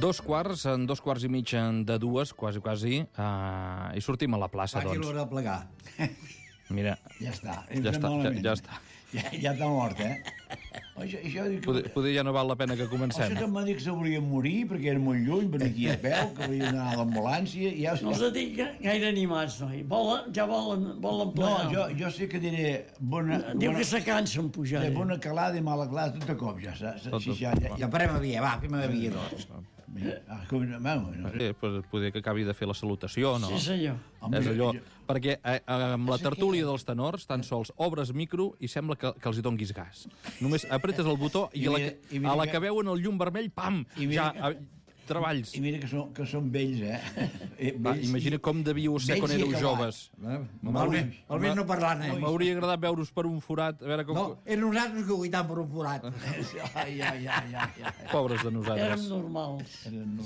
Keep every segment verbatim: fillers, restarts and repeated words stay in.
Dos quarts, en dos quarts i mig de dues, quasi, quasi, uh, i sortim a la plaça, Quasi doncs. l'hora de plegar. Mira, Ja està. ja està, ja, ja està. Ja, ja està mort, eh? Això, això, que... Poder, poder ja no val la pena que comencem. Això que m'ha dit que s'hauria de morir perquè era molt lluny, per aquí a peu, que hauria d'anar a l'ambulància... Ja... No els dic gaire animats, noi. Volen, ja volen, volen No, plegar. jo, jo sé que diré... Bona, Diu bona, que se cansen pujar. de bona calada i mala calada tot de cop, ja saps? Tot Sí, de- ja, ja, ja farem a via, va, fem a via, doncs. Ah, com, vamos, no sé. Sí, pues, poder que acabi de fer la salutació, no? Sí, senyor. Home, És allò, jo- perquè eh, amb la tertúlia dels tenors tan sols obres micro i sembla que, que els hi donguis gas. Només apretes el botó i, I a la, mira- que- i mira a la que- que veuen el llum vermell, pam, I mira ja, eh, treballs. I mira que són, que són vells, eh? Eh, Va, vells imagina i- com devíeu ser quan vells i éreu acabats. joves. Almenys, almenys no parlant, eh? M'hauria agradat veure's per un forat, a veure com... No, eren nosaltres que guaitant per un forat. Ai, ai, ai, ai, ai. Pobres de Érem nosaltres. normals.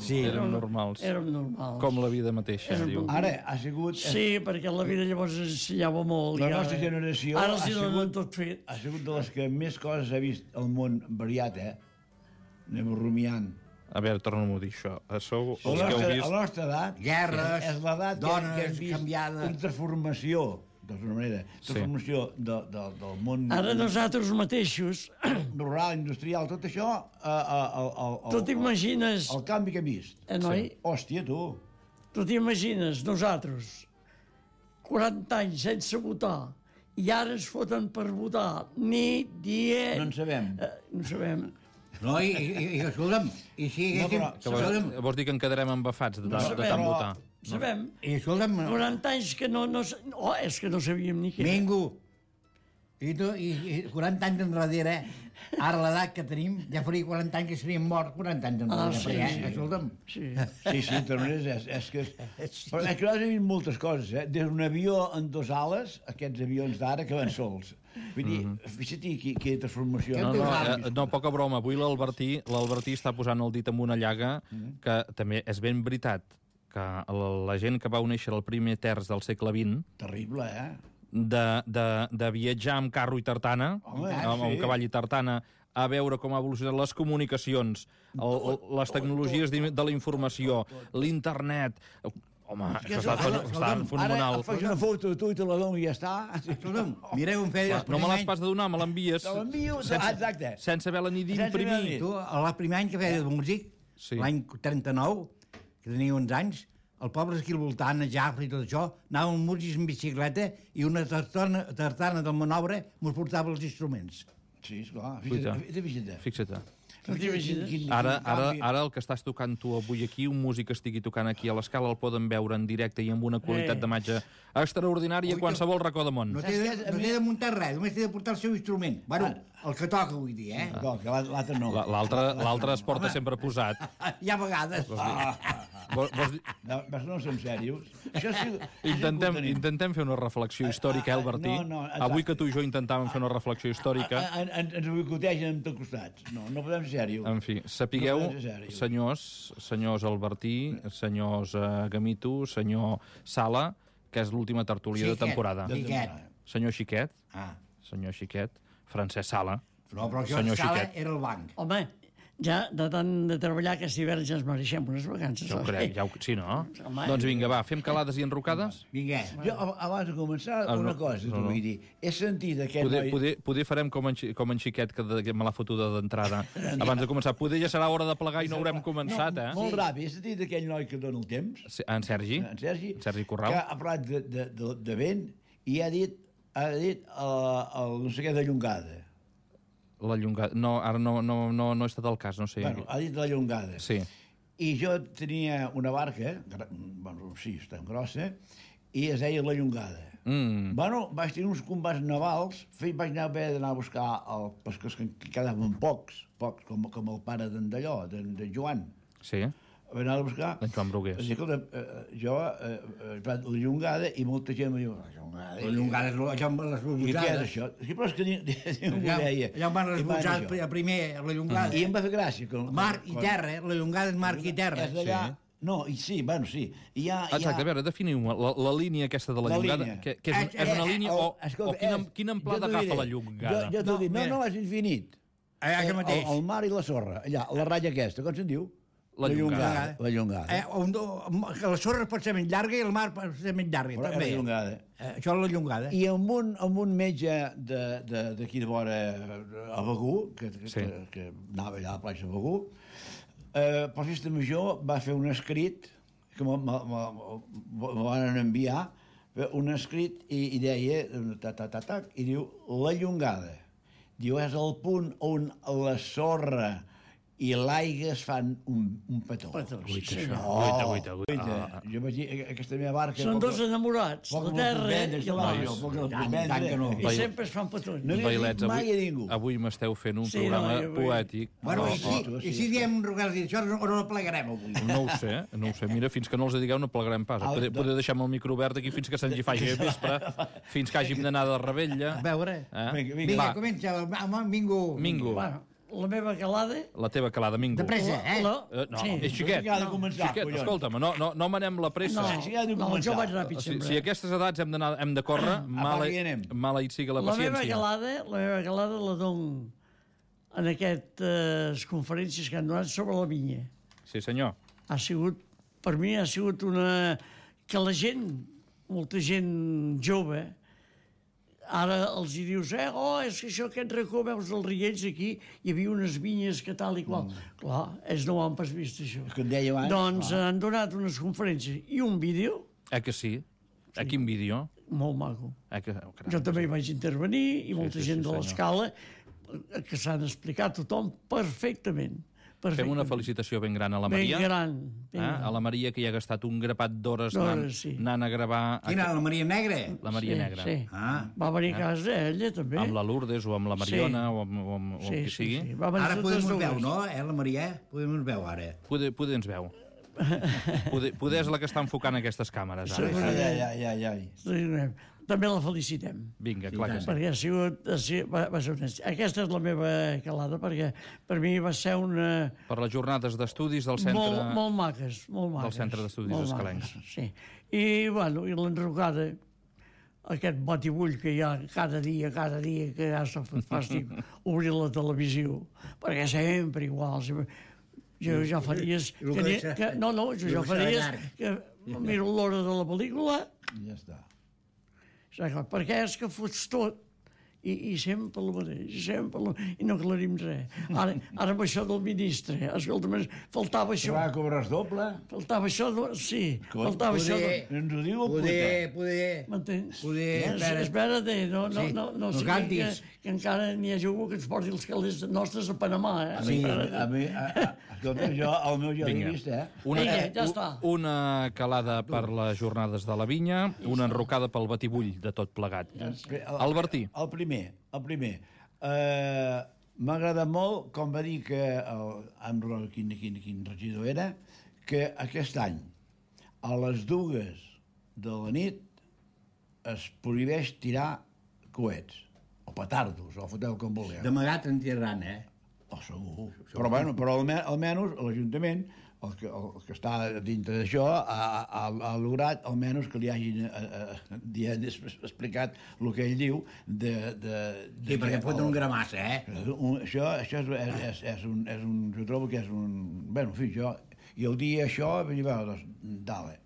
Sí, Érem normals. Érem normals. Com la vida mateixa, Érem diu. Ara ha sigut... Sí, perquè la vida llavors ensenyava molt. La i ara- nostra generació Ara els ha hi donen sigut- tot fet. Ha sigut de les que més coses ha vist el món variat, eh? Anem rumiant. A veure, torna-m'ho a dir, això. Sou els A que la heu nostra, vist... a la nostra edat... Guerres, és l'edat que, dones que hem vist canviades. una transformació, d'alguna manera, transformació de, de, del món Ara nosaltres mateixos, rural, industrial, tot això, eh, eh, el, el, el, tu t'imagines, el canvi que hem vist. eh, noi? Hòstia, tu. Tu t'imagines, nosaltres, quaranta anys sense votar, i ara ens foten per votar nit, dia... No en sabem. Eh, no sabem. No, i, i, i escolta'm, i si No, haguéssim... però- Que vols, escolta'm, vols dir que en quedarem embafats de, No de, sabem, de tant però- votar? Sabem. i escolta'm, quaranta anys que no... no, sa- oh, és que no sabíem ni què. Mingo, i tu, i, i quaranta anys enrere, ara l'edat que tenim, ja faria quaranta anys que seríem morts, quaranta anys enrere, Ah, sí, perquè, sí. escolta'm, Sí. Sí, sí, de totes maneres, és, és que... Però és que nosaltres hem vist moltes coses, eh? Des d'un avió en dos ales, aquests avions d'ara que van sols. Vull dir, fixa't qui, qui transformació. No, no, Hem eh, no, poca broma. Avui l'Albertí l'Albertí està posant el dit en una llaga que també és ben veritat que la, la gent que va néixer al primer terç del segle vint Terrible, eh? de, de, de viatjar amb carro i tartana, Home, amb, amb sí. cavall i tartana, a veure com ha evolucionat les comunicacions, el, el, les tecnologies de la informació, l'internet... Home, això està, Ara, està fenomenal. Ara faig una foto de tu i te la dono i ja està. escolta'm, mireu un feia... No me l'has pas de donar, me l'envies. Te l'envio, sense, exacte. sense haver-la ni Sense haver-la d'imprimir. ni- Tu, el primer any que feia de músic, Sí. l'any trenta-nou, que tenia uns anys, el poble aquí al voltant, a Jafra i tot això, anàvem músics en bicicleta i una tartana, tartana del manobre mos portava els instruments. Sí, esclar. Cuita. Fixa't, fixa't. Fixa't. No t'imagines? Quin- quin- Ara, quin ara, canvi. ara el que estàs tocant tu avui aquí, un músic que estigui tocant aquí a l'escala, el poden veure en directe i amb una qualitat Eh. d'imatge extraordinària a qualsevol racó de món. No té, de, no té de muntar res, només té de portar el seu instrument. Bueno, el que toca, vull dir, eh? No, que l'altre no. La- L'altre l'altre es porta sempre posat. Hi ha vegades. Vols, vols dir... No, però no som serios. Això sí, Intentem, sí que ho tenim. intentem fer una reflexió històrica, eh, Albertí? No, no, exacte. Avui que tu i jo intentàvem fer una reflexió històrica. A- a- en- Ens boicotegen en tots costats. No, no podem ser serios. En fi, sapigueu, No podem ser serios. senyors, senyors Albertí, senyors uh, Gamito, senyor Sala, que és l'última tertúlia de Xiquet, temporada. Xiquet. Senyor Xiquet, Ah. senyor Xiquet, Francesc Sala. No, però això Senyor sala Xiquet. era el banc. Home, ja de tant de treballar aquest hivern ja ens mereixem unes vacances. Ja ho oi? crec, ja ho... Sí, no? Home. Doncs vinga, va, fem calades i enrocades? Vinga. Jo, ab- abans de començar, Ah, no, una cosa, no, t'ho no. vull dir. He sentit aquest Poder, noi... poder, poder farem com en, Xi- com en Xiquet, que, de, que me l'ha fotuda d'entrada, abans de començar. Poder ja serà hora de plegar i no haurem començat, no, eh? Molt ràpid. He sentit aquell noi que dona el temps, Sí, En Sergi? en Sergi, En Sergi Corral. que ha parlat de, de, de, de vent i ha dit, ha dit el, el no sé què de llongada. La llongada... No, ara no, no, no, no he estat al cas, no sé. Bueno, ha dit la llongada. Sí. I jo tenia una barca, gra- bueno, sí, està grossa, i es deia la llongada. Mm. Bueno, vaig tenir uns combats navals, fe- vaig anar a haver d'anar a buscar el pescadors que, que quedaven pocs, pocs, com, com el pare d'en Dallò, d'en de Joan. Sí. Vaig anar a buscar... D'en Joan Brugués. Vaig dir, escolta, eh, jo, eh, eh, la llongada, i molta gent em diu, la llongada... La llongada és allà on van les I què és botzades. això? Sí, però és que ningú ho Allà, deia. allà on van les I van botzades dir jo. primer, la llongada. I em va fer gràcia. Com, Mar i terra, eh? La llongada és mar i terra. És d'allà... Sí. No, i sí, bueno, sí. I hi ha, hi ha... Exacte, a veure, definiu-me, la, la línia aquesta de la, La llongada, línia. que, que és, Eh, és una eh, línia el- o, escolta, o quina, és- quina jo amplada t'ho agafa diré. la llongada? Jo, jo t'ho No, dic, no, mira. no, és infinit. Allà que El, mateix. el mar i la sorra, allà, la ratlla aquesta, com se'n diu? La llongada. La llongada. Eh, on, que la sorra pot ser més llarga i el mar pot ser més llarga, Però també. la llongada. Eh, això és la llongada. I amb un, amb un metge d'aquí de, de vora a Begú, que, que, Sí. que, que anava allà a la platja de Begú, eh, per festa major va fer un escrit que me, me, me, me van enviar, un escrit i, i deia, ta, ta, ta, ta, i diu, la llongada. Diu, és el punt on la sorra i l'aigua es fan un, un petó. Petó, sí, Guaita, senyor. això. Guaita, guaita, guaita. Guaita. Ah, ah. Jo vaig dir, aquesta meva barca... Són poc- dos enamorats, poc la la terra comprendre, i el va, mar. jo, poc la Tant, comprendre. tant que no. I sempre es fan petons. No havia Vailets, dit mai avui, a ningú. avui m'esteu fent un Sí, programa no, jo vull- poètic. Bueno, Oh, i si, oh, i si diem Rogal i això, o no la plegarem avui? No ho sé, no ho sé. Mira, fins que no els digueu no plegarem pas. Ah, Podeu, de- podeu deixar-me el micro obert aquí fins que se'ns hi faci a vespre, fins que hàgim d'anar de rebella. A veure. Eh? Vinga, Vinga, Va. comença, home, Mingo. Mingo, Bueno, la meva calada... la teva calada, Mingo. De pressa, eh? La, Eh, no, sí. és xiquet. Ha de començar, Xiquet, collons. escolta'm, no, no, no manem la pressa. No, Sí, ha de no, començar. jo vaig ràpid Si, sempre. si a aquestes edats hem d'anar hem de córrer, mala, Apaga i anem. maleït sigui la La meva paciència. calada, la meva calada la dono en aquestes conferències que han donat sobre la vinya. Sí, senyor. Ha sigut, per mi ha sigut una... que la gent, molta gent jove, ara els hi dius, eh, oh, és que això, aquest racó, veus els riells aquí, hi havia unes vinyes que tal i qual. Mm. Clar, ells no ho han pas vist, això. És que et deia abans, Doncs clar. han donat unes conferències i un vídeo Eh que sí? A quin vídeo? molt maco. Eh que... oh, caram, Jo també hi vaig intervenir i molta sí, sí, gent de senyor. l'escala eh, que s'han explicat tothom perfectament. Fem perfectament. una felicitació ben gran a la Ben Maria. gran. Ben Eh? gran. A la Maria, que hi ha gastat un grapat d'hores D'hores, anant, sí. anant a gravar Quina, la Maria Negra? la Maria sí, Negra. Sí. Ah. Va venir a casa ella, també. Amb la Lourdes o amb la Mariona o amb, o amb, o amb sí, qui sí, sigui. sí. Va venir Ara totes podem dues. veu, no? Eh, la Maria? Podem veu, ara. Poder, poder ens veu. Poder, poder és la que està enfocant aquestes càmeres. Ara. Sí. Ai, ai, ai, ai. Sí, també la felicitem. Vinga, Sí, clar que tant. sí. Perquè ha sigut, ha sigut va, va ser una... Aquesta és la meva calada, perquè per mi va ser una... Per les jornades d'estudis del centre... Molt, molt maques, molt maques. Centre d'Estudis molt Escalencs. maques, Sí. I, bueno, i l'enrocada, aquest batibull que hi ha cada dia, cada dia, que ja s'ha fet fàstic obrir la televisió, perquè sempre igual. Sempre... Jo ja fa dies... I el Que, que ni- serà- que, no, no, jo i el ja que fa serà dies llarg. que miro l'hora de la pel·lícula, Ja està. saps clar, perquè és que fots tot i, i sempre el mateix, sempre el... i no aclarim res. Ara, ara amb això del ministre, escolta, faltava Que això, va cobrar doble? faltava això, de... sí, Escolta, faltava això... De... poder- Ens ho diu el Poder, puta. poder... M'entens? Poder, Eh, espera. Espera't, no, no, Sí, no, no, no sigui que, cantis. que encara n'hi ha algú que ens porti els calés nostres a Panamà, eh? A mi, Espera't. a mi, a, a, escolta, jo, el meu ja l'he Vinga. vist, eh? Una, Vinga, eh, ja està. una calada per les jornades de la vinya, una enrocada pel batibull de tot plegat. El, Albertí. El primer, el primer. Uh, M'ha agradat molt, com va dir que el, em recordo quin, quin, quin regidor era, que aquest any, a les dues de la nit, es prohibeix tirar coets, o petardos, o foteu com vulgueu. D'amagat en tiraran, eh? Oh, segur. Però, bueno, però alme- almenys l'Ajuntament, el que, el que està dintre d'això, ha, ha, ha lograt almenys que li hagin eh, eh, dient, explicat el que ell diu de... de, de Sí, perquè que pot el- un gramassa, eh? un, això això és, és, és, és, un, és un... Jo trobo que és un... Bé, en fi, jo... I el dia això, vull dir, bueno, doncs, dale.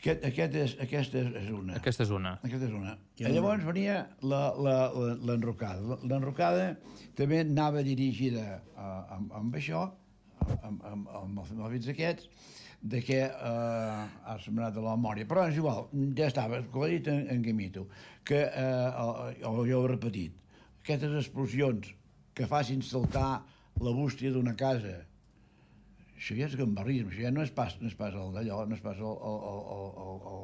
Aquest, aquest és, aquesta és, és una. Aquesta és una. Aquesta és una. I llavors venia la- la- la- l'enrocada. L'enrocada també anava dirigida a, amb, amb això, amb, amb, amb els mòbils aquests, de que eh, ha sembrat de la memòria. Però és igual, ja estava, com he dit en, en Gamito, que, eh, o jo ho he repetit, aquestes explosions que facin saltar la bústia d'una casa, això ja és gambarrisme, això ja no és pas, no és pas el d'allò, no és pas el, el, el, el, el,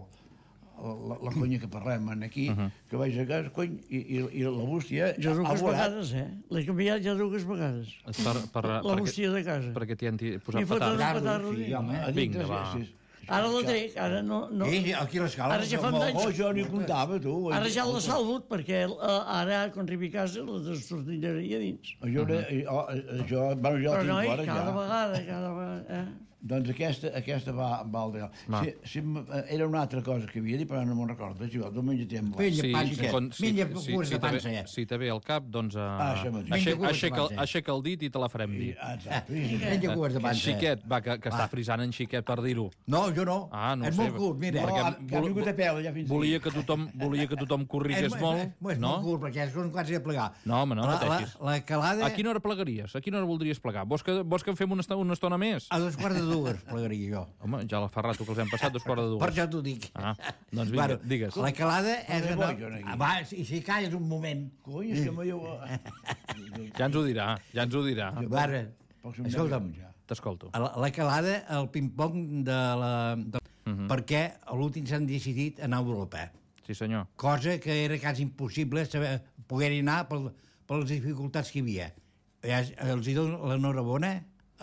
el, la, la conya que parlem aquí, uh -huh. que vaig a casa, cony, i, i, i la bústia... Jo ha dues volat. vegades, eh? L'he canviat ja dues vegades. Per, per, La perquè, bústia de casa. perquè t'hi han ti- posat I foten petards. un petardo. Sí, home. A dintre, Vinga, va. sí, sí. Ara la trec, ara no... no. I aquí a l'escala... Ara ja fa molt- anys. Oh, jo n'hi comptava, tu. Ara ja la salvo, perquè eh, ara, quan arribi a casa, la destortillaria dins. Jo, uh -huh. jo, jo, bueno, jo Però la tinc noi, fora, cada ja. vegada, cada vegada... Eh? Doncs aquesta, aquesta va, va al de... Va. Si, si, m- era una altra cosa que havia dit, però no me'n recordo. Si vol, tu menja temps. Menja Sí, pansa. si, con- si, Menja si, curs si, de te ve, pansa, ja. si te ve al cap, doncs uh, Ah, això mateix. aixeca, Menja curs de aixeca, el, pansa. aixeca el dit i te la farem dir. Ah, exacte. Sí, sí. Menja curs de En pansa. Xiquet, va, que, que està frisant en Xiquet per dir-ho. No, jo no. Ah, no ho és sé. molt curt, mira. No, perquè ha, que ha vol- vingut a peu, ja fins Volia que tothom, volia que tothom corrigués És- molt, és, és no? molt curt, perquè són quasi a plegar. No, home, no, no la, la, teixis. la calada... A quina hora plegaries? A quina hora voldries plegar? Vols que, vols que en fem una, estona- una estona més? A dos quarts de dues plegaria jo. Home, ja la fa rato que els hem passat, dos quarts de Per dues. això t'ho dic. Ah, doncs vinga, Bueno, digues. La calada és... No, No, jo no aquí. va, i si calles un moment... Cony, és que m'ho... Ja ens ho dirà, ja ens ho dirà. Ara, Pocs minuts escolta'm, ja. T'escolto. la, la calada, el ping-pong de la... De, Mhm. Perquè a l'últim s'han decidit anar a Europa. Sí, senyor. Cosa que era quasi impossible saber, poder-hi anar per, per les dificultats que hi havia. Ja, els hi dono l'enhorabona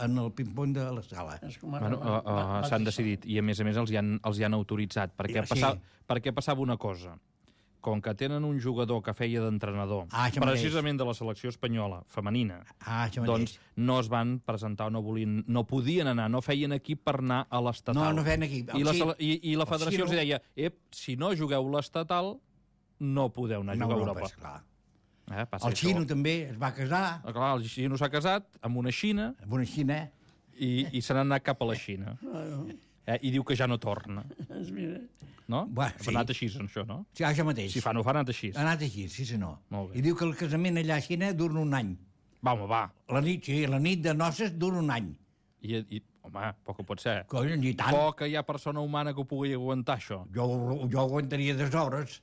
en el ping-pong de la sala. És com ara Bueno, va- uh, uh, va- va s'han dir decidit i a més a més els hi han, els hi han autoritzat perquè, Sí. passava, perquè passava una cosa. Com que tenen un jugador que feia d'entrenador Ah, això mateix. precisament de la selecció espanyola femenina, Ah, això doncs mateix. no es van presentar, no volien, no podien anar, no feien equip per anar a l'estatal. No, no feien equip. I la, El sele- i, i la el federació Xino- els deia, ep, si no jugueu l'estatal, no podeu anar a Anar jugar a Europa, Europa. esclar. Eh, passa El això. xino també es va casar Ah, clar, el xino s'ha casat amb una xina amb una xina. i, i se n'ha anat cap a la Xina. Eh, I diu que ja no torna. És, mira, No? Bueno, Ha sí. anat així, això, no? Sí, això mateix. Si fa no fa, ha anat així. Ha anat així, sí senyor. Molt bé. I diu que el casament allà a Xina dura un any. Va, home, va. La nit, sí, la nit de noces dura un any. I, i, home, poc que pot ser. Coi, ni tant. Poc que hi ha persona humana que ho pugui aguantar, això. Jo, jo aguantaria dues hores.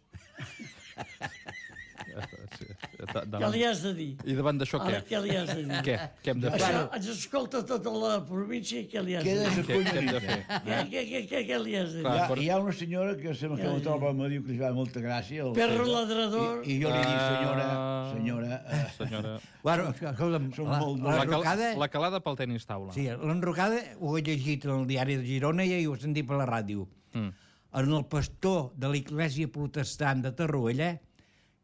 Sí, què davant... li has de dir? I davant d'això què? Ara, què li has de dir? Què? Què hem de fer? Això, ens escolta tota la província i què li has de Queda dir? sa Què, què hem de fer? Què, què, què, què, què li has de dir? Clar. Hi ha, per- hi ha una senyora que sembla que Ja, la ja. troba, me diu que li fa molta gràcia. el Perro César, ladrador. I, I jo li dic, senyora, Ah. senyora... Eh, Senyora... Bueno, escolta'm, Som la, molt- la, La, cal... l'enrocada... la calada pel tenis taula. Sí, l'enrocada ho he llegit en el diari de Girona i ho he sentit per la ràdio. Mm. En el pastor de l'església protestant de Torroella,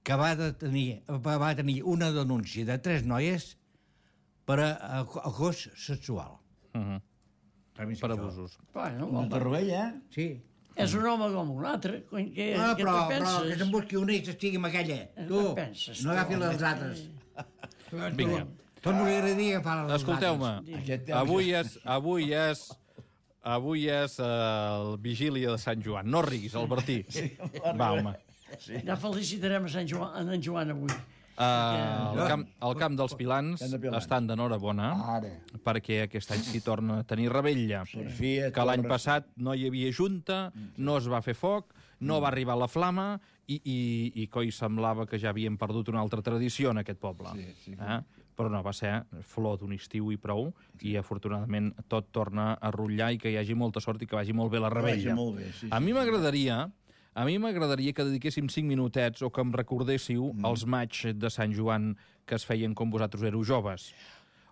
que va, de tenir, va tenir una denúncia de tres noies per a, a, acós sexual. Uh -huh. Per abusos. Bueno, Una home, torrovella, eh? Sí. és un home com un altre. Cony, què, Ah, què però, te però penses? que se'n busqui una i s'estigui amb aquella. Eh, Tu, què penses, no tu, agafi home? les altres. Vinga. Tot m'agradaria agafar les Escolteu-me, altres. Aquest temps avui és, avui és, avui és uh, el vigília de Sant Joan. No riguis, Albertí. Va, home. Ja felicitarem a Sant Joan, a en Joan avui. Uh, el, camp, el camp dels Pilans Camp de Pilans. estan d'enhorabona Ara. perquè aquest any s'hi torna a tenir rebella. Per fi, Que l'any torna- passat no hi havia junta, no es va fer foc, no va arribar la flama i, i, i coi semblava que ja havíem perdut una altra tradició en aquest poble. Sí, sí. Eh? Però no, va ser flor d'un estiu i prou, i afortunadament tot torna a rotllar i que hi hagi molta sort i que vagi molt bé la rebella. vagi molt bé, sí, A sí, mi m'agradaria a mi m'agradaria que dediquéssim cinc minutets o que em recordéssiu Mm. els matxs de Sant Joan que es feien quan vosaltres éreu joves.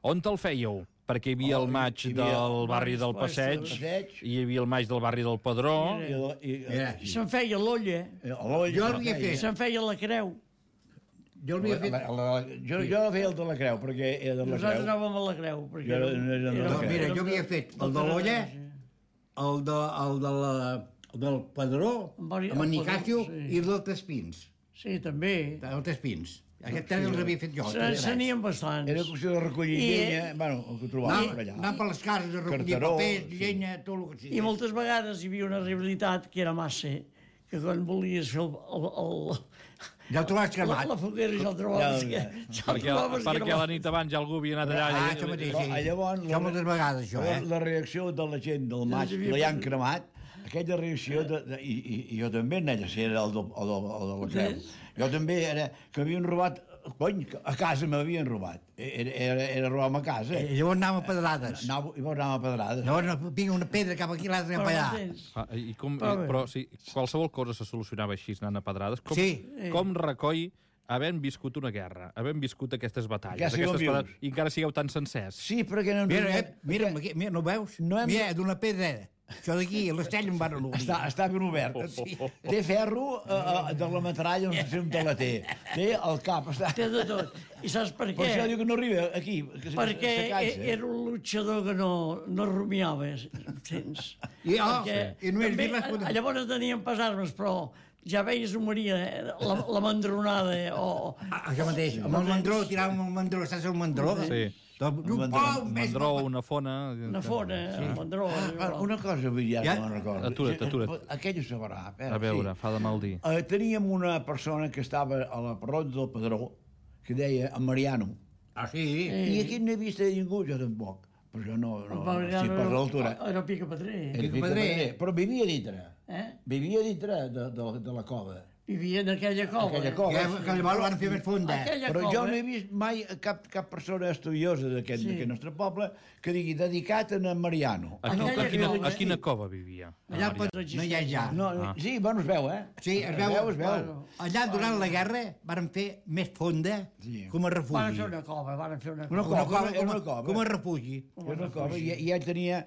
On te'l fèieu? Perquè hi havia Oh, el maig hi havia del barri del Passeig, del Passeig. hi havia el maig del barri del Padró, I, la- i, Mira, i, Se'n feia l'olla, i, l'olla, Jo l'havia la- fet. se'n feia la creu. Jo l'havia fet... La, la, jo, jo feia el de la creu, perquè era de la Nosaltres creu. anàvem a la creu. Perquè Jo era- era de la No, creu. mira, jo havia fet el de l'olla, el, de, el, de la, el del Padró, Amb vari- amb en el Nicasio Padró, sí. i el del Tespins. Sí, també. El Tespins. Aquest tres els havia fet jo. Se- tres. Se n'hi bastants. Era qüestió de recollir I- llenya, bueno, el que trobàvem Anar, per allà. anar per les cases a recollir Carteró, paper, sí. llenya, tot el que sigui. I moltes vegades hi havia una rivalitat que era massa, que quan volies fer el, el, el, Ja el trobaves la, cremat. la foguera ja el trobaves Ja, que, ja. ja el perquè, trobaves que perquè era la nit abans ja algú havia anat allà... Ah, i- això mateix, Però, sí. ah, llavors, Això moltes vegades, això, la, eh? la reacció de la gent del maig, hi havia que l'han pas- cremat, aquella reacció, de, de, i, i, i jo també, nella, si era el, del, el, del, el de la creu, jo també era que m'havien robat, cony, a casa m'havien robat, era, era, era robar-me a casa. I llavors anàvem a pedrades. Anava, I llavors anàvem a pedrades. Llavors no, vinga una pedra cap aquí, l'altra cap Però allà. m'entens? Ah, i com, Però bé. però sí, qualsevol cosa se solucionava així, anant a pedrades. Com, Sí. com recoi havent viscut una guerra, havent viscut aquestes batalles, Encara sigueu aquestes vius. pedrades, i encara sigueu tan sencers. Sí, perquè no ens Mira, donem- eh, mira, aquí, mira, no ho veus? No hem- Mira, d'una pedra Això d'aquí, l'Estell em van obrir. Està, està ben obert. Sí. Té ferro uh, de la metralla, no sé on te la té. Té el cap. Està... Té de tot. I saps per què? Per això diu que no arriba aquí. Que se, Perquè se cansa. era un luchador que no, no rumiava, entens? I, oh, Perquè i només també, dir les fotos. llavors tenien pas armes, però ja veies un Maria, eh, la, la mandronada, eh, o... Ah, això mateix, amb el mandró, tiràvem el mandró, saps el mandró? Sí. Tot, un mandró, pom, més Mandró, una fona... Una fona, sí. Un mandró. Ah, una cosa, vull dir, ja, Ja? no me'n recordo. Atura't, atura't. Aquell ho sabrà. Eh? A veure, fa de mal dir. Uh, teníem una persona que estava a la parròdia del Padró, que deia en Mariano. Ah, sí? I aquí no he vist a ningú, jo tampoc. Però jo no, no, no estic per l'altura. Era pica pedrer. Era Pica Pedrer. Però vivia dintre. Eh? Vivia dintre de, de, de la cova. Vivia en aquella cova. Aquella eh? cova. Que, que llavors van fer més fonda. Aquella Però cova, jo no he vist mai cap, cap persona estudiosa d'aquest Sí. sí. nostre poble que digui dedicat a en Mariano. A, qui- Aquella a, quina, cova, a quina cova vivia? Allà al Padró no hi ha ja. No, Ah. Sí, bueno, es veu, eh? Sí, es veu. Es veu. Bueno. Allà, durant la guerra, van fer més fonda Sí. com a Van refugi. fer una cova, van fer una Una cova. cova, com, era a- una cova. com a refugi. Era una cova, i, i ell tenia,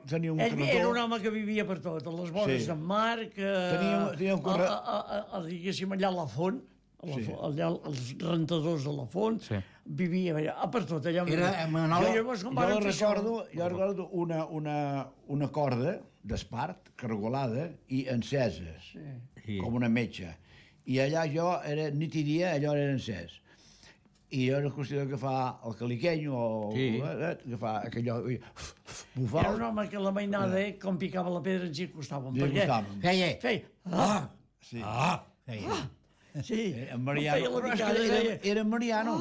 tenia un Ell carretó. era un home que vivia per tot, a les vores Sí. d'en Marc, eh, Tenia- tenia un corre- a, a, a, a, diguéssim, allà a la font, a la Sí. font, allà als rentadors de la font, Sí. vivia allà, a per tot, allà. on- Era a Manol- I llavors, com Jo varen fer això- recordo, jo recordo una, una, una corda d'espart cargolada i encesa, Sí. Sí. com una metxa. I allà jo, era nit i dia, allò era encès. I jo era qüestió d'agafar el caliquenyo o Sí. eh, agafar aquellò i Era bufar. un home que la mainada, eh, com picava la pedra, ens hi acostàvem. Li perquè acostàvem. Feia. feia... Ah! Sí. Ah! Feia. Sí, Eh, En Mariano, feia la però és que picada i era, deia... era en Mariano.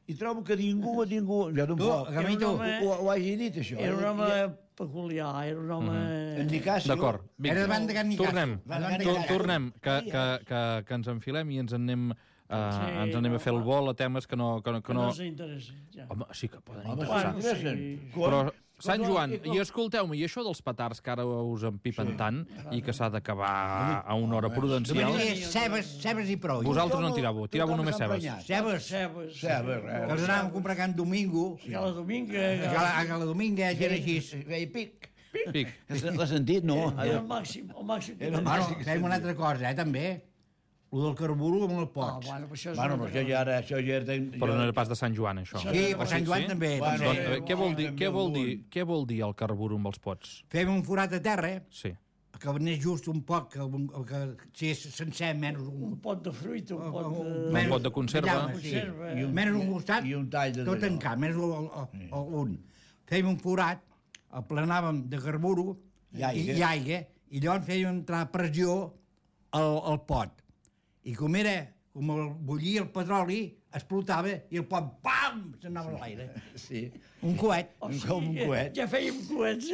I trobo que ningú, ningú, jo Tu, tampoc, Gamito, Era un home- ho, ho hagi dit, això. Era un I- home peculiar, era un home... En Nicasio... D'acord, Era vinga. davant de Can Nicasio. Tornem, Davant de Tor- Can Nicasio. tornem, que, que, que, que ens enfilem i ens en anem, uh, Sí, ens anem a fer el no, vol a temes que no... Que no, Que que no no... ens interessa, ja. Home, sí que poden Home, interessar. Bueno, s'interessen. sí. Però, Sant Quan- Joan, i- i escolteu-me, i això dels petards que ara us empipen tant i que s'ha d'acabar a una hora prudencial, Només cebes, cebes i prou. vosaltres no en tiràveu, tiràveu Tothom només s'ha cebes. emprenyat. Cebes. Cebes. Cebes, eh? Que els anàvem a comprar Can Domingo. Cada domingo... A la, a la Dominga era així. Feia pic. Pic. L'ha sentit, no? Era el màxim, el màxim. que Era el tenia. Bueno, fem una altra cosa, eh, també. Lo del carburo amb el Ah, pots. bueno, però això és Bueno, una però altra això ja era... Això ja era Però no era pas de Sant Joan, això. Sí, per Sant Joan també. Bueno, Doncs, també. eh, què vol dir, també què vol algun. dir, què vol dir el carburo amb els pots? Fem un forat a terra, Sí. que n'és just un poc, que, que si és sencer, menys un... Un pot de fruita, un pot de... Un pot de conserva. Ja, sí. Conserva. I un, menys un costat, I un tall de tot d'allò. tancat, menys el, el, el, un. Fèiem un forat, el planàvem de carburo I aigua. i, i aigua, i llavors fèiem entrar pressió al, al pot. I com era, com el bullia el petroli, explotava i el pot, pam, s'anava a l'aire. Sí. Un coet. O Com un coet. Ja fèiem coets.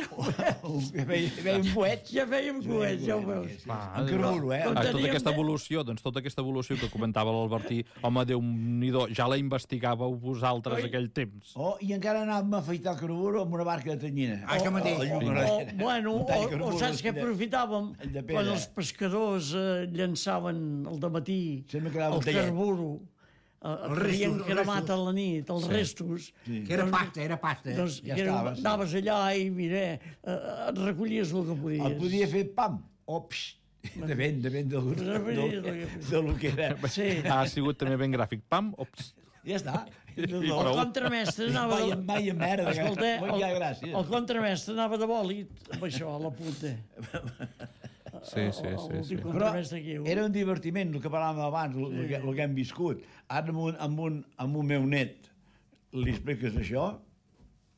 Feia, feia un coet. Ja fèiem coets, ja ho veus. Va, En carburo, eh? Com Ah, tota teníem aquesta de- evolució, doncs tota aquesta evolució que comentava l'Albertí, home, Déu-n'hi-do, ja la investigàveu vosaltres Oi. aquell temps. Oh, i encara anàvem a afaitar el carburo amb una barca de tanyina. Ah, això mateix. Oh, O, oh, bueno, un tall o, carburo o saps que de- aprofitàvem el de quan pedra. els pescadors eh, llançaven al dematí Sempre quedava el un tallet. carburo, eh, Els que havien restos, els cremat restos. a la nit, els restos. Sí. Que era pasta, era pasta. Doncs Ja que era, estava, sí. anaves allà i, mira, eh, et recollies el que podies. El podia fer pam o psh. Depèn, depèn del, del, del, del que era. Sí. Ha sigut també ben gràfic. Pam, ops. Ja està. I El prou. contramestre anava... Vaya, vaya merda. Escolta, Molta el, gràcia. el contramestre anava de bòlit amb això, a la punta. Sí, sí, sí. sí. L'últim Però contramestre aquí. era un divertiment, el que parlàvem abans, el, el, que, el que hem viscut. Ara amb un, amb un, amb un meu net li expliques això,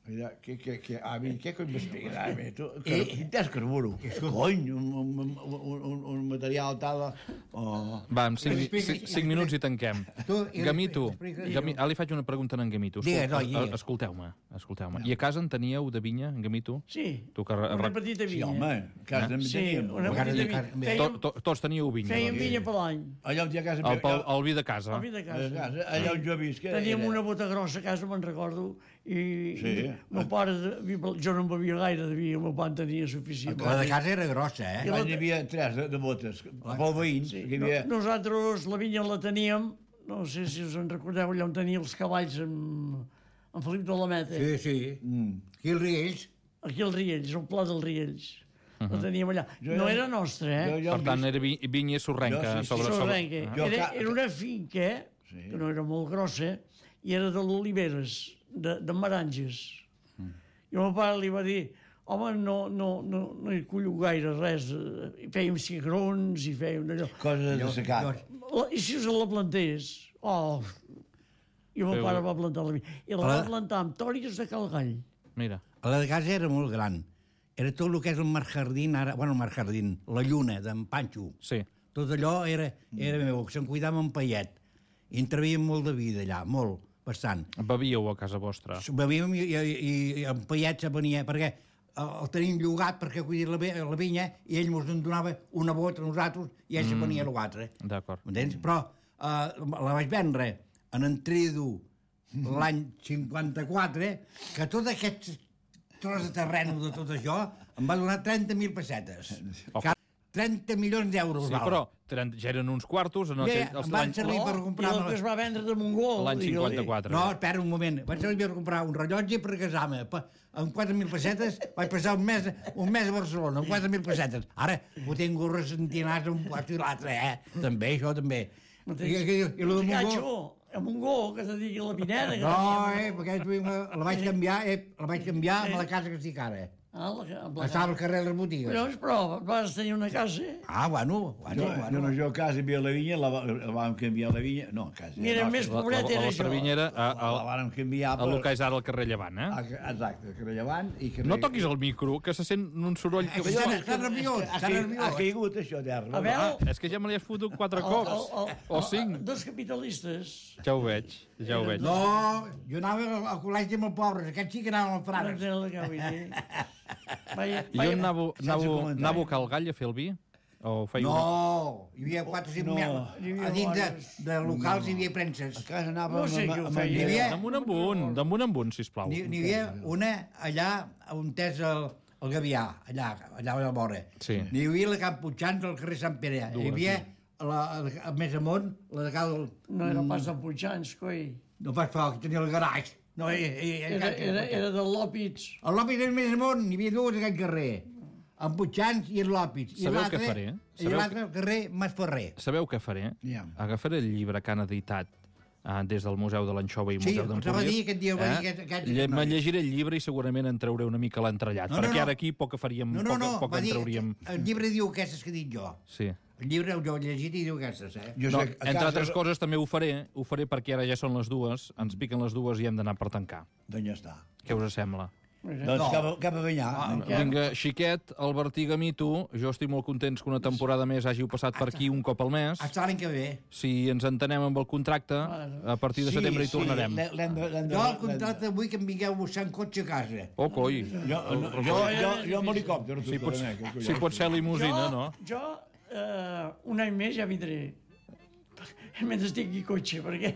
mira, què, què, què, avi, què cony m'expliques, avi? Tu, que, I- t'has carburo. Cony, un, un, un, un, un material tal... Oh. Va, en cinc, Explica- cinc, cinc minuts i tanquem. Tu, i- Gamito, explica- Gami, ara li faig una pregunta a en Gamito. Digues, Escolta, oi, digues. es- Escolteu-me, escolteu-me. I a casa en teníeu de vinya, en Gamito? Sí, Tu que... una re- petita Sí, vinya. home, a casa també Sí, teníem. una Encara petita de vinya. carn- Fèiem, To, to, tots teníeu vinya. fèiem doncs. vinya per l'any. Allà on hi ha casa... El, el, el vi de casa. El vi de a casa. casa, allà on jo visc... Teníem era- una bota grossa a casa, me'n recordo, i Sí. i meu pare, de- jo no en bevia gaire, devia, el meu pare en tenia suficient. La de casa era grossa, eh? Allà hi havia tres de, de botes, pel veïns, Sí, que hi no, havia... nosaltres la vinya la teníem, no sé si us en recordeu, allà on tenia els cavalls amb, amb Felip de la Meta. Sí, sí. Mm. Aquí els Riells. Aquí als Riells, al Pla dels Riells. la teníem allà. No era nostra, eh? Jo- jo Per hem tant, vist- era vi- vinya sorrenca. Jo, sí, sí, sobre, sobre... Sorrenca. Jo Era, ca- era una finca, Sí. que no era molt grossa, i era de l'Oliveres, de, de Maranges. Mm. I el meu pare li va dir, home, no, no, no, no hi cullo gaire res. eh, I fèiem cigrons i fèiem allò. Coses de Jo- secat. jo- La, I si us la plantés? Oh! I el meu Feu- pare va plantar la vinya. I la Hola. va plantar amb tòries de Calgall. Mira, La de casa era molt gran. Era tot el que és el Mar Jardín, ara, bueno, el Mar Jardín, la lluna d'en Panxo. sí. Tot allò era, era meu, se'n cuidava en Paiet. I en travíem molt de vida allà, molt, bastant. Bevíeu a casa vostra. Bevíem i, i, i en Paiet se venia, perquè el, el tenim llogat perquè cuidar la, vi- la vinya i ell ens en donava una bota a nosaltres i ell mm. se venia a l'altre. D'acord. M'entens? Però eh, la vaig vendre en Entrido l'any cinquanta-quatre, que tot aquest tros de terreno de tot això em va donar trenta mil pessetes. Oh. Que trenta milions d'euros. Sí, val. però trenta, ja eren uns quartos en Ja, aquell, ja, els em van l'any servir per I comprar... el que es va vendre de Montgó. l'any digue-li. cinquanta-quatre. No, espera un moment. Vaig servir per comprar un rellotge per casar-me. Pa- Amb quatre mil pessetes vaig passar un mes, un mes a Barcelona, amb quatre mil pessetes. Ara ho tinc ressentinats un lloc i l'altre, eh? També, això també. I, i, i, i lo de Montgó... Gatxo, a Montgó, que te digui la vinera. Que No, teníem. eh, perquè la vaig canviar, eh, la vaig canviar amb la casa que estic ara. Ah, la, amb la Estava al carrer de les botigues. Collons, però vas tenir una casa, eh? Ah, bueno, bueno, Jo, bueno. jo, no, jo a casa hi havia la vinya, la, va- la vam canviar la vinya... No, a casa... Mira, no, més La, la, pobret la era vostra jo. vinya era a, La, la a, vàrem canviar a el que és ara el carrer Llevant, eh? a- Exacte, carrer Llevant i carrer... No toquis el micro, que se sent un soroll que... Està, està nerviós, Ha, està caigut, nerviós. ha caigut això d'herba. A veure, És que ja me l'hi has fotut quatre el- cops. el- el- O el- cinc. Dos capitalistes. Ja ho veig, ja ho veig. No, jo anava al, al col·legi amb els pobres, aquests sí que anaven als No frares. entenc el que vull dir. Vaja, I on anàveu, sense anàveu, comentari. anàveu a Cal Gall a fer el vi? O fèieu... No, hi havia quatre o cinc... No. No. Hi havia A dins de, bones. de locals hi havia premses. A casa anàvem No sé amb- qui ho amb- feia. Hi havia- Damunt amb un, damunt amb un, sisplau. N'hi n'hi havia una allà on és el, el Gavià, allà, allà a la vora. Sí. N'hi havia la Camp Puigxans al carrer Sant Pere. Dues, Hi havia, la, la, més amunt, la de Cal... no era pas de Puigans, coi. No faig foc, tenia el garatge. No, eh, eh, eh, Era, era, era de Lòpits. El Lòpits era més amunt, n'hi havia dues a aquest carrer. En Puigxans i en Lòpits. I Sabeu l'altre- què faré? I Sabeu l'altre al carrer Masferrer. Sabeu què faré? Ja. Agafaré el llibre que han editat ah, des del Museu de l'Anxova i Sí, Museu us d'Empúries. anava a dir aquest dia, ho va dir aquest- aquest- Lle- aquest Me noi. llegiré el llibre i segurament en trauré una mica l'entrellat, No, no, perquè no. ara aquí poc que faríem, No, no, no, poc, poc va en dir, trauríem... el llibre diu aquestes que dic jo. Sí. El llibre jo he llegit i diu aquestes, eh? Jo No, sé, a entre casa- altres coses també ho faré, ho faré perquè ara ja són les dues, ens piquen les dues i hem d'anar per tancar. Doncs ja està. Què us sembla? Doncs No. cap, a, cap a banyar. Ah, No. Vinga, Xiquet, Albertí Gamito, jo estic molt contents que una temporada més hàgiu passat per aquí un cop al mes. Hasta l'any que ve. Si ens entenem amb el contracte, a partir de setembre hi tornarem. l'hem- l'hem de- l'hem de- Jo el l'hem de- contracte vull que em vingueu a buscar en cotxe a casa. Oh, coi. Jo, no, jo, jo, jo amb helicòpter. Si pot, eh, si pot ser limusina, jo, no? Jo, eh, un any més ja vindré. Mentre tingui cotxe, perquè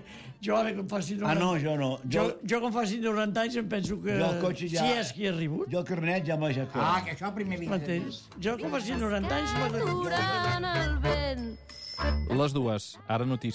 jo ara que em faci Ah, noranta... no, jo no. Jo, Jo, jo que em faci noranta anys em penso que... jo el cotxe ja... Si és qui ha arribat, Jo el carnet ja m'ha deixat Ah, fora. que això primer vinc. m'entens? Jo que em faci noranta anys m'ha de... Aturant el vent. Les dues, ara notícies.